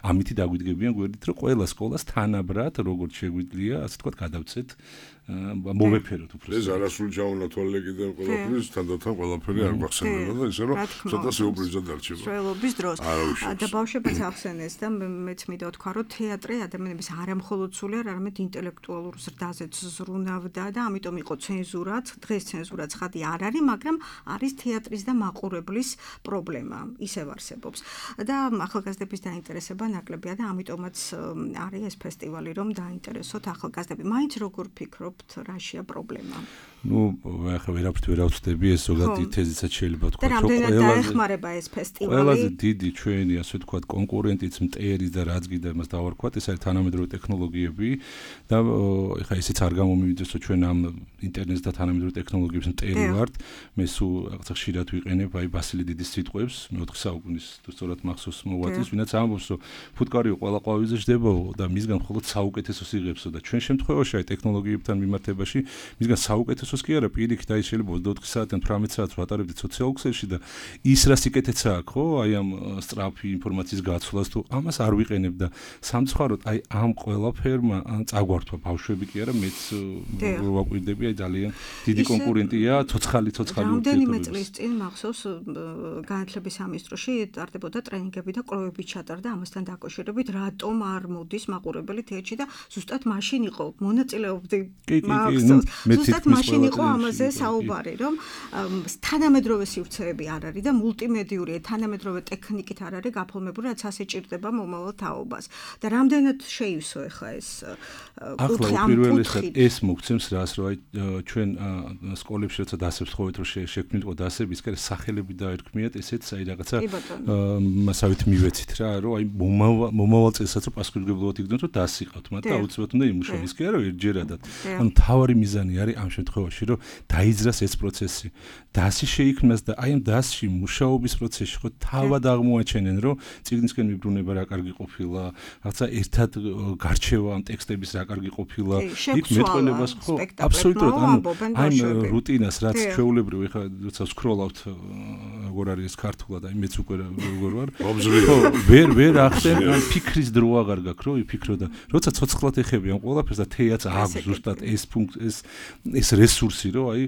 ამითი დაგვიდგებიან გვერდით, რომ ყველა სკოლას თანაბრად როგორც შეგვიძლია, ასე თქვა გადავცეთ მოვეფეროთ უფრო. ეს არასრული ჩაუნათვალე კიდევ ყველაფრის თანდათან ყველაფერი არ გვახსენებოდა და ისე რომ ცოტა სიურპრიზად დარჩება. სრულობის დროს. და ბავშვებიც ახსენეს და მეც მინდა ვთქვა, რომ თეატრი ადამიანების არამხოლოდ სულიერ, არამედ ინტელექტუალურ ზრდაზეც ზრუნავდა და ამიტომ იყო ცენზურაც, დღეს ცენზურაც ხადი არ არის, მაგრამ არის თეატრის და მაყურებლის პრობლემა, ისევ არსებობს. და ახალგაზრდების დაინტერესება ნაკლებია და ამიტომაც არის ეს ფესტივალი, რომ დაინტერესოთ ახალგაზრდები. მაინც როგორ ფიქრობთ, რაშია პრობლემა? ახლა ვერაფრით ვერ ავწდები, ეს ზოგადი თეზისაც შეიძლება თქვა, რომ რამდენად დაეხმარება ეს ფესტივალი? ყველაზე დიდი ჩვენი, ასე ვთქვათ, კონკურენტიც მტერი და რაც გინდა იმას დავარქვათ, ეს არის თანამედროვე ტექნოლოგიები და ახლა ისიც არ გამომივიდეს, რომ ჩვენ ამ ინტერნეტს და თანამედროვე ტექნოლოგიებს მტერი ვართ. მე სულ რაღაცა ხშირად ვიყენებ აი ბასილი დიდის სიტყვებს, მე-4 საუკუნის თუ სწორად მახსოვს მოღვაწეს, ვინაც ამბობს, რომ ფუტკარიო ყველა ყვავილზე ჯდებაო და მისგან მხოლოდ საუკეთესოს იღებსო და ჩვენ შემთხვევაში აი ტექნოლოგიებთან მიმართებაში მისგან საუკეთესოს კი არა, პირიქით აი შეიძლება 24 საათიდან 18 საათს ვატარებდით სოციალურ ქსელში და ის რა სიკეთეცა აქვს, ხო? აი ამ სწრაფი ინფორმაციის გაცვლას თუ ამას არ ვიყენებ და სამწუხაროდ აი ამ ყველაფერმა წაგვართვა ბავშვები კი არა, მეც ვაკვირდები, აი ძალიან დიდი კონკურენტია, ცოცხალი ურთიერთობები. რამდენიმე წლის წინ მახსოვს განათლების სამინისტროში ტარდებოდა ტრენინგები და კვლევები ჩატარდა ამასთან დაკავშირებით, რატომ არ მოდის მაყურებელი თეატრში და ზუსტად მაშინ იყო მონაწილეობდი მახსოვს. ზუსტად მაშინ იყო ამაზე საუბარი, რომ თანამედროვე სივრცეები არ არის და მულტიმედიური თანამედროვე ტექნიკით არ არის გაფორმებული, რაც ასე ჭირდება მომავალ თაობას. და რამდენად შეივსო ახლა ეს ახლა პირველად ეს მოგცემს რას, რომ აი ჩვენ სკოლებში როცა დასებს ხოვეთ, რომ შექმნილიყო დასები, ის კერე სახელები დაერქმიათ, ესეც აი რაღაცა მასავით მივეცით რა, რომ აი მომავალ წელსაც რომ პასუხისმგებლობად იგრძნოთ, რომ დასი ყავთ, მაგრამ აუცილებლად უნდა იმუშაოს, ის კი არა, ერთჯერადად. ანუ თავარი მიზანი არის ამ შემთხვევაში, რომ დაიძრას ეს პროცესი. დასი შეიქმნას და აი ამ დასში მუშაობის პროცესში ხო თავად აღმოაჩენენ, რომ წიგნისკენ მიბრუნება რა კარგი ყოფილა, რაღაცა ერთად გარჩევა ამ ტექსტების რა კარგი ყოფილა, იქ მეტყველებას ხო აბსოლუტურად ანუ აი რუტინას რაც ჩვეულებრივ ეხლა როცა სკროლავთ როგორ არის ეს ქართულად, აი მეც უკვე როგორ ვარ. ხო, ვერ ახდენ ან ფიქრის დრო აღარ გაქვს, რომ იფიქრო და როცა ცოცხლად ეხები ამ ყველაფერს და თეაც აქვს ზუსტად ეს რესურსი, რომ აი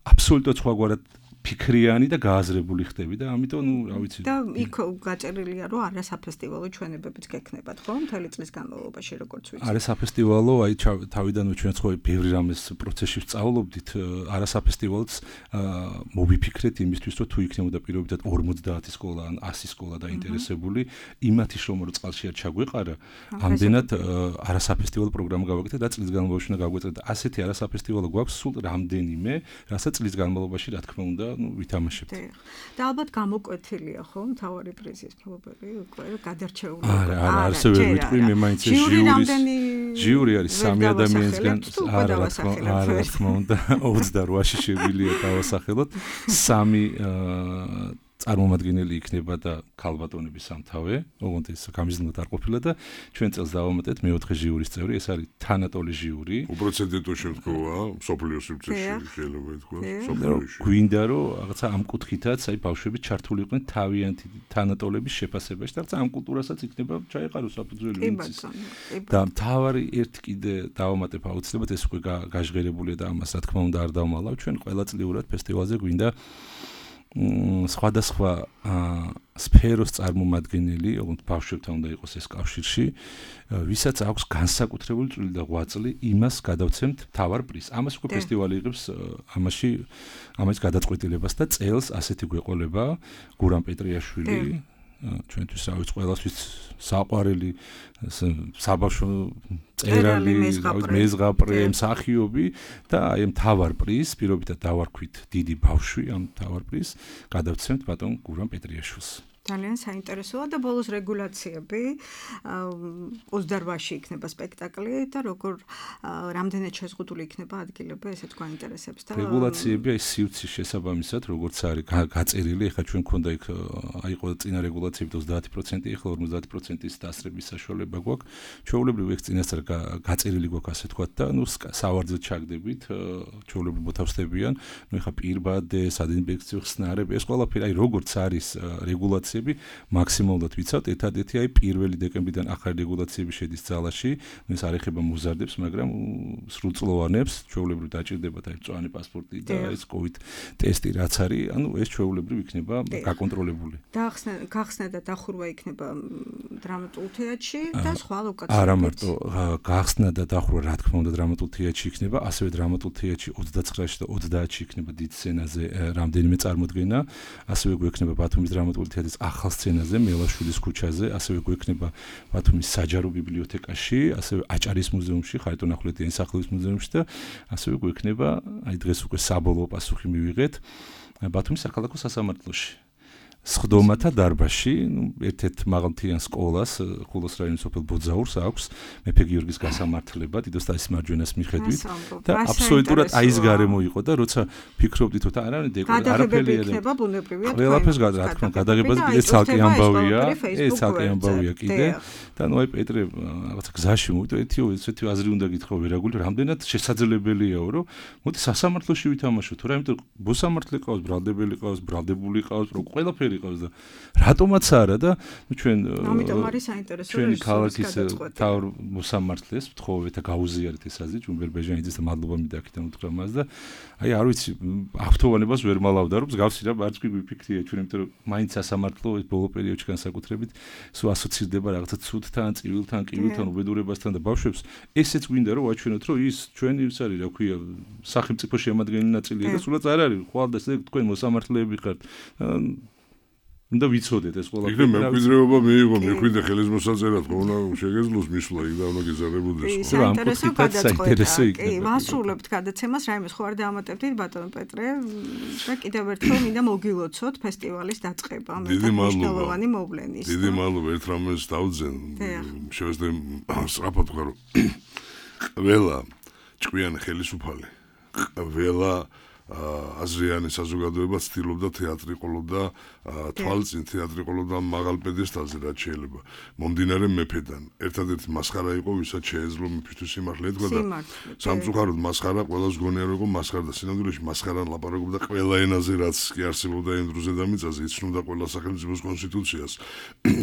აბსოლუტურად სხვაგვარად ფიქრიანი და გააზრებული ხდები და ამიტომ ნუ რა ვიცი და იქ გაწერილია რომ არა საფესტივალო ჩვენებებიც გექნებათ ხო მთელი წლის განმავლობაში როგორც ვიცი არა საფესტივალო აი თავიდანვე ჩვენ ხო ბევრი რამეს პროცესში ვსწავლობდით არა საფესტივალოც მოვიფიქრეთ იმისთვის რომ თუ იქნებოდა პირობითად 50 სკოლა ან 100 სკოლა დაინტერესებული იმათი შრომა რომ წყალში არ ჩაგვეყარა ამდენად არა საფესტივალო პროგრამა გავაკეთეთ და წლის განმავლობაში უნდა გავგვეწრეთ და ასეთი არა საფესტივალო გვაქვს სულ რამდენიმე რასაც წლის განმავლობაში რა თქმა უნდა ვითამაშებთ. და ალბათ გამოკვეთილია ხო მთავარი პრიზის მფლობელი უკვე გადარჩეული. არა, ასე ვერ ვიტყვი მე მაინც ჟიური არის 3 ადამიანისგან არა რა თქმა უნდა 28-ში შეგვიძლია დავასახელოთ 3 წარმომადგენელი იქნება და ქალბატონების სამთავე, ოღონდ ეს გამიზნულად არ ყოფილა და ჩვენ წელს დავამატეთ მე-4 ჟიურის წევრი, ეს არის თანატოლი ჟიური. უპრეცედენტო შემთხვევაა, სოფლიო სივრცეში შეიძლება ითქვას, სოფლიოში. გვინდა რომ რაღაცა ამ კუთხითაც აი ბავშვები ჩართული იყვნენ თავიანთი თანატოლების შეფასებაში და რაღაცა ამ კულტურასაც იქნება ჩაეყაროს საფუძველი ვინც. და მთავარი ერთი კიდე დავამატებ აუცილებლად ეს უკვე გაჟღერებულია და ამას რა თქმა უნდა არ დავმალავ, ჩვენ ყოველწლიურად ფესტივალზე გვინდა სხვადასხვა სფეროს წარმომადგენელი, ოღონდ ბავშვებთან უნდა იყოს ეს კავშირში, ვისაც აქვს განსაკუთრებული წვლილი და ღვაწლი, იმას გადავცემთ მთავარ პრიზს. ამას უკვე ფესტივალი იღებს ამას გადაწყვეტილებას და წელს ასეთი გვეყოლება გურამ პეტრიაშვილი ჩვენთვის რა ვიცი ყველასთვის საყვარელი საბავშვო წერალი მეზღაპრე მსახიობი და აი მთავარ პრიზს პირობითად დავარქვით დიდი ბავშვი ამ მთავარ პრიზს გადავცემთ ბატონ გურამ პეტრიაშვილს ძალიან საინტერესოა და ბოლოს რეგულაციები 28-ში იქნება სპექტაკლი და როგორ რამდენად შეზღუდული იქნება ადგილები ესეც გვაინტერესებს და რეგულაციები აი სივრცის შესაბამისად როგორც არის გაწერილი ეხლა ჩვენ მქონდა იქ აი ყო წინა რეგულაციები 30% ეხლა 50%-ის დასრების საშუალება გვაქვს ჩვეულებრივ ეს წინასწარ გაწერილი გვაქვს ასე თქვა და ნუ სავარძელად ჩაგდებით ჩვეულებრივ მოთავსდებიან ნუ ეხლა პირბადე სადინფექციო ხსნარები ეს ყველაფერი აი როგორც არის რეგულაცია მაქსიმალურად ვიცავთ, ერთადერთი აი 1 დეკემბრიდან ახალი რეგულაციები შედის ძალაში, ეს არ ეხება მოზარდებს, მაგრამ სრულწლოვანებს, ჩვეულებრივ დაჭირდებათ აი მწვანე პასპორტი და ეს COVID ტესტი რაც არის, ანუ ეს ჩვეულებრივ იქნება გაკონტროლებული. გახსნა და დახურვა იქნება დრამატულ თეატრში და სხვა ლოკაციებში. არა მარტო გახსნა და დახურვა რა თქმა უნდა დრამატულ თეატრში იქნება, ასევე დრამატულ თეატრში 29-ში და 30-ში იქნება დიდ სცენაზე რამდენიმე წარმოდგენა, ასევე გვექნება ბათუმის დრამატული თეატრის ახალ სცენაზე, მელაშვილის ქუჩაზე, ასევე გვექნება ბათუმის საჯარო ბიბლიოთეკაში, ასევე აჭარის მუზეუმში, ხარიტონ ახვლედიანის სახელობის მუზეუმში და ასევე გვექნება, აი დღეს უკვე საბოლოო პასუხი მივიღეთ, ბათუმის საქალაქო სასამართლოში. სხდომათა დარბაზში, ერთ-ერთ მაღალმთიან სკოლას, ხულოს რაიონის სოფელ ბოძაურს აქვს მეფე გიორგის გასამართლება დიდოსტანის მარჯვენას მიხედვით და აბსოლუტურად აი ეს გარემო იყო და როცა ფიქრობდით რომ არა არაფერი იქნება ბუნებრივია ყველაფერს რა თქმა უნდა გადაღებაზე კიდე ცალკე ამბავია ეს ცალკე ამბავია კიდე და ნუ აი პეტრე რაღაცა გზაში მოვიდა ერთი აზრი უნდა გითხრა ვერაგული რამდენად შესაძლებელიაო რომ მოდი სასამართლოში ვითამაშოთ თუ რა იმიტომ მოსამართლე ყავს ბრალდებელი ყავს ბრალდებული ყავს რომ ყველაფერი ყავს და რატომაც არა და ჩვენ ამიტომ არის საინტერესო ჩვენი ქალაქის თავ მოსამართლეს ვთხოვეთ და გაუზიარეთ ეს აზრი ჯუმბერ-ბეჟანიძეს და მადლობა მინდა აქედან უთხრა მას და აი არ ვიცი ავთოვანებას ვერ მალავდა რომ მსგავსი რა არც კი ვიფიქრია ჩვენ იმიტომ რომ მაინც სასამართლო ეს ბოლო პერიოდში განსაკუთრებით სულ ასოცირდება რაღაცა ცუდთან, წივილთან, კივილთან, უბედურებასთან და ბავშვებს ესეც გვინდა რომ ვაჩვენოთ რომ ის ჩვენი ის არის რა ქვია სახელმწიფო შემადგენელი ნაწილია და სულაც არ არის ხვალ და თქვენ მოსამართლეები ხართ უნდა ვიცოდეთ ეს ყველაფერი. იქნებ მემკვიდრეობა მიიღო, მეკვიდრე ხელისმოსაწერად ხონა შეგეძლოს მისვლა იქ და უნდა გეზარებოდეს. საინტერესო კი, ვასრულებთ გადაცემას, რაიმეს ხო არ დაამატებდით ბატონო პეტრე და კიდევ ერთხელ მინდა მოგილოცოთ ფესტივალის დაწყება. დიდი მადლობა. მოვლენის. დიდი მადლობა ერთ რამეს დავძენ. შევეცდე სწრაფად ვქარო. ყველა ჭკვიანი ხელისუფალი, ყველა აზრიანი საზოგადოება ცდილობდა თეატრი ყოლოდა თვალწინ თეატრი ყოლოდა მაღალ პედესტალზე რაც შეიძლება მომდინარე მეფედან ერთადერთი მასხარა იყო ვისაც შეეძლო მეფისთვის სიმართლე ეთქვა და სამწუხაროდ მასხარა ყველას გონია რომ იყო მასხარა და სინამდვილეში მასხარან ლაპარაკობდა ყველა ენაზე რაც კი არსებობდა იმ დროზე და მიწაზე იცნობდა ყველა სახელმწიფოს კონსტიტუციას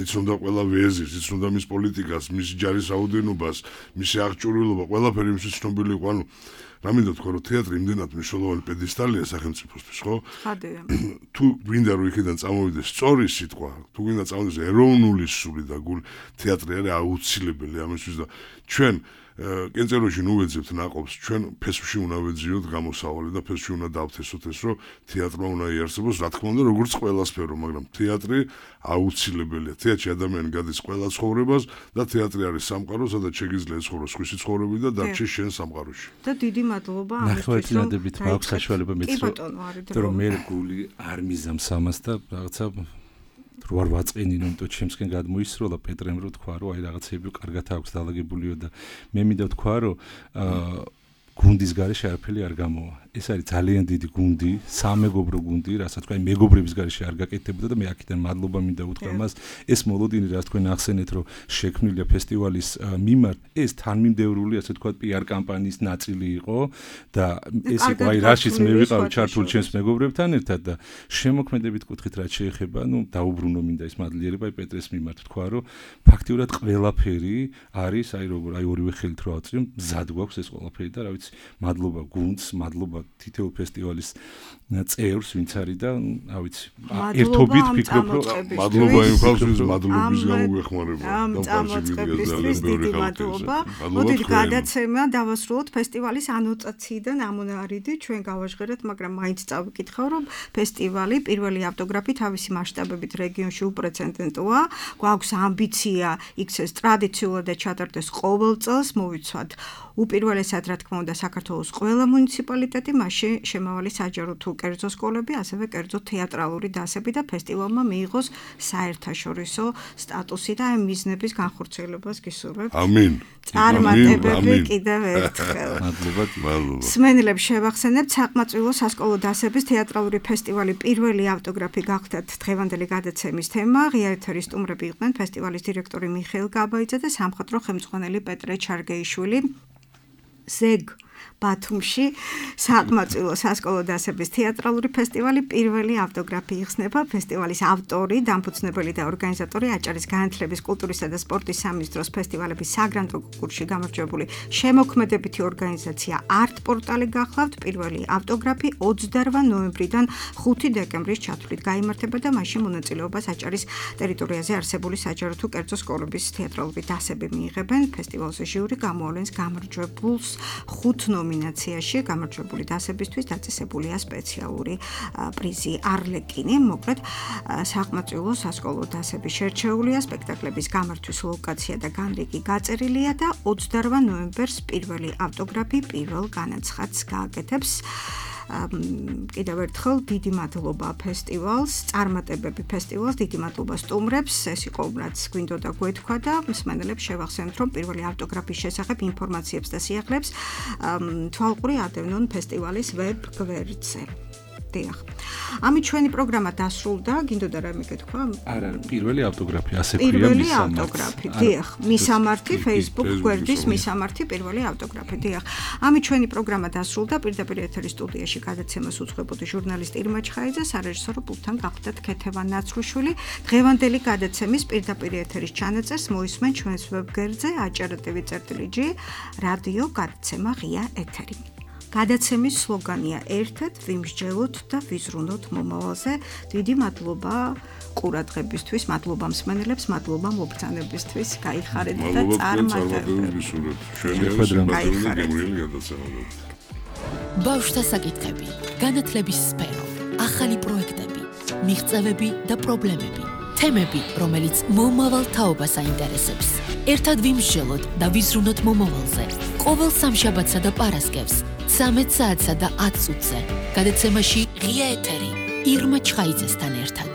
იცნობდა ყველა ვეზირს იცნობდა მის პოლიტიკას მის ჯარის რაოდენობას მისი აღჭურვილობა ყველაფერი იმის ცნობილი იყო ანუ რამინდა თქვა რომ თეატრი იმდენად მნიშვნელოვანი პედესტალია სახელმწიფოსთვის, ხო? ხადია. თუ გვინდა რომ იქიდან წამოვიდეს სწორი სიტყვა, თუ გვინდა წამოვიდეს ეროვნული სული და თეატრი არის აუცილებელი ამისთვის და ჩვენ კენწეროში ნუ ვეძებთ ნაყოფს, ჩვენ ფესვში უნდა ვეძიოთ გამოსავალი და ფესვში უნდა დავთესოთ ეს რომ თეატრმა უნდა იარსებოს, რა თქმა უნდა, როგორც ყველა სფერო, მაგრამ თეატრი აუცილებელია. თეატრში ადამიანი გადის ყველა ცხოვრებას და თეატრი არის სამყარო, სადაც შეგიძლია ცხოვროს სხვისი ცხოვრები და დარჩეს შენ სამყაროში. და დიდი მადლობა ამისთვის, რომ მაქვს საშუალება მეცხრა, რომ მე გული არ მიზამს ამას და რაღაცა რო არ ვაწყინინო, იმიტომ ჩემსკენ გადმოისროლა პეტრემ რო თქვა, რომ აი რაღაცები კარგად აქვს დაალაგებულიო და მე მინდა თქვა, რომ გუნდის გარეშე არაფერი არ გამოვა. ეს არის ძალიან დიდი გუნდი, სამეგობრო გუნდი, რასაც თქვა, მეგობრების გარეშე არ გაკეთებოდა და მე აქედან მადლობა მინდა უთხრა მას. ეს მოლოდინი, რაც თქვენ ახსენეთ, რომ შექმნილია ფესტივალის მიმართ, ეს თანმიმდევრული, ასე თქვა, PR კამპანიის ნაწილი იყო და ეს იყო აი რაშიც მე ვიყავი ჩართული ჩემს მეგობრებთან ერთად და შემოქმედებით კუთხით რაც შეეხება, ნუ დაუბრუნო მინდა ეს მადლიერება აი პეტრეს მიმართ თქვა, რომ ფაქტიურად ყველაფერი არის აი როგორ აი ორივე ხელით რო ავწრი, მზად გვაქვს ეს ყველაფერი და რა ვიცი, მადლობა გუნდს, მადლობა თითოეულ ფესტივალის წევრს, ვინც არის და, რა ვიცი, ერთობით ვფიქრობ, რომ მადლობა იმ ხალხს, მადლობის გამო გვეხმარება. ამოწყებისთვის დიდი მადლობა. მოდით გადაცემა დავასრულოთ ფესტივალის ანოტაციიდან ამონარიდი, ჩვენ გავაჟღერეთ, მაგრამ მაინც წავიკითხავ, რომ ფესტივალი პირველი ავტოგრაფი თავისი მასშტაბებით რეგიონში უპრეცედენტოა. გვაქვს ამბიცია იქცეს ტრადიციულად და ჩატარდეს ყოველ წელს, მოვიცვათ უპირველესად რა თქმა უნდა საქართველოს ყველა მუნიციპალიტეტი, მასში შემავალი საჯარო თუ კერძო სკოლები, ასევე კერძო თეატრალური დასები და ფესტივალმა მიიღოს საერთაშორისო სტატუსი და ამ მიზნების განხორციელებას გისურვებთ. ამინ. წარმატებები კიდევ ერთხელ. მადლობა. სმენელებს შევახსენებთ საყმაწვილო სასკოლო დასების თეატრალური ფესტივალი პირველი ავტოგრაფი გახდათ დღევანდელი გადაცემის თემა. ღია ეთერის სტუმრები იყვნენ ფესტივალის დირექტორი მიხეილ გაბაიძე და სამხატვრო ხელმძღვანელი პეტრე ჩარგეიშვილი. ზეგ ბათუმში საყმაწვილო სასკოლო დასების თეატრალური ფესტივალი პირველი ავტოგრაფი იხსნება. ფესტივალის ავტორი, დამფუძნებელი და ორგანიზატორი აჭარის განათლების, კულტურისა და სპორტის სამინისტროს ფესტივალების საგრანტო კონკურსში გამარჯვებული შემოქმედებითი ორგანიზაცია არტ პორტალი გახლავთ. პირველი ავტოგრაფი 28 ნოემბრიდან 5 დეკემბრის ჩათვლით გაიმართება და მასში მონაწილეობას აჭარის ტერიტორიაზე არსებული საჯარო თუ კერძო სკოლების თეატრალური დასები მიიღებენ. ფესტივალზე ჟიური გამოავლენს გამარჯვებულს 5 ნომინაციაში გამარჯვებული დასებისთვის დაწესებულია სპეციალური პრიზი არლეკინი. მოკლედ, საყმაწვილო სასკოლო დასები შერჩეულია, სპექტაკლების გამართვის ლოკაცია და განრიგი გაწერილია და 28 ნოემბერს პირველი ავტოგრაფი პირველ განაცხადს გააკეთებს. კიდევ ერთხელ დიდი მადლობა ფესტივალს, წარმატებები ფესტივალს, დიდი მადლობა სტუმრებს. ეს იყო რაც გვინდოდა გვეთქვა და მსმენელებს შევახსენებთ, რომ პირველი ავტოგრაფის შესახებ ინფორმაციებს და სიახლეებს თვალყური ადევნონ ფესტივალის ვებ გვერდზე. დიახ. ამით ჩვენი პროგრამა დასრულდა. გინდოდა რამე გეთქვა? არა, პირველი ავტოგრაფი, ასე ქვია პირველი ავტოგრაფი. დიახ, მისამართი Facebook გვერდის მისამართი პირველი ავტოგრაფი. დიახ. ამით ჩვენი პროგრამა დასრულდა. პირდაპირ ეთერის სტუდიაში გადაცემას უძღვებოდი ჟურნალისტი ირმა ჩხაიძე, სარეჟისორო პულტთან გახდათ ქეთევან ნაცრუშვილი. დღევანდელი გადაცემის პირდაპირ ეთერის ჩანაწერს მოისმენ ჩვენს ვებგვერდზე ajar.tv/g რადიო გადაცემა ღია ეთერი. გადაცემის სლოგანია ერთად ვიმსჯელოთ და ვიზრუნოთ მომავალზე. დიდი მადლობა ყურადღებისთვის, მადლობა მსმენელებს, მადლობა მობრძანებისთვის. გაიხარეთ და წარმატებებს. ბავშვთა საკითხები, განათლების სფერო, ახალი პროექტები, მიღწევები და პრობლემები. თემები, რომელიც მომავალ თაობას აინტერესებს. ერთად ვიმსჯელოთ და ვიზრუნოთ მომავალზე. ყოველ სამშაბათსა და პარასკევს 13 საათსა და 10 წუთზე. გადაცემაში ღია ეთერი ირმა ჩხაიძესთან ერთად.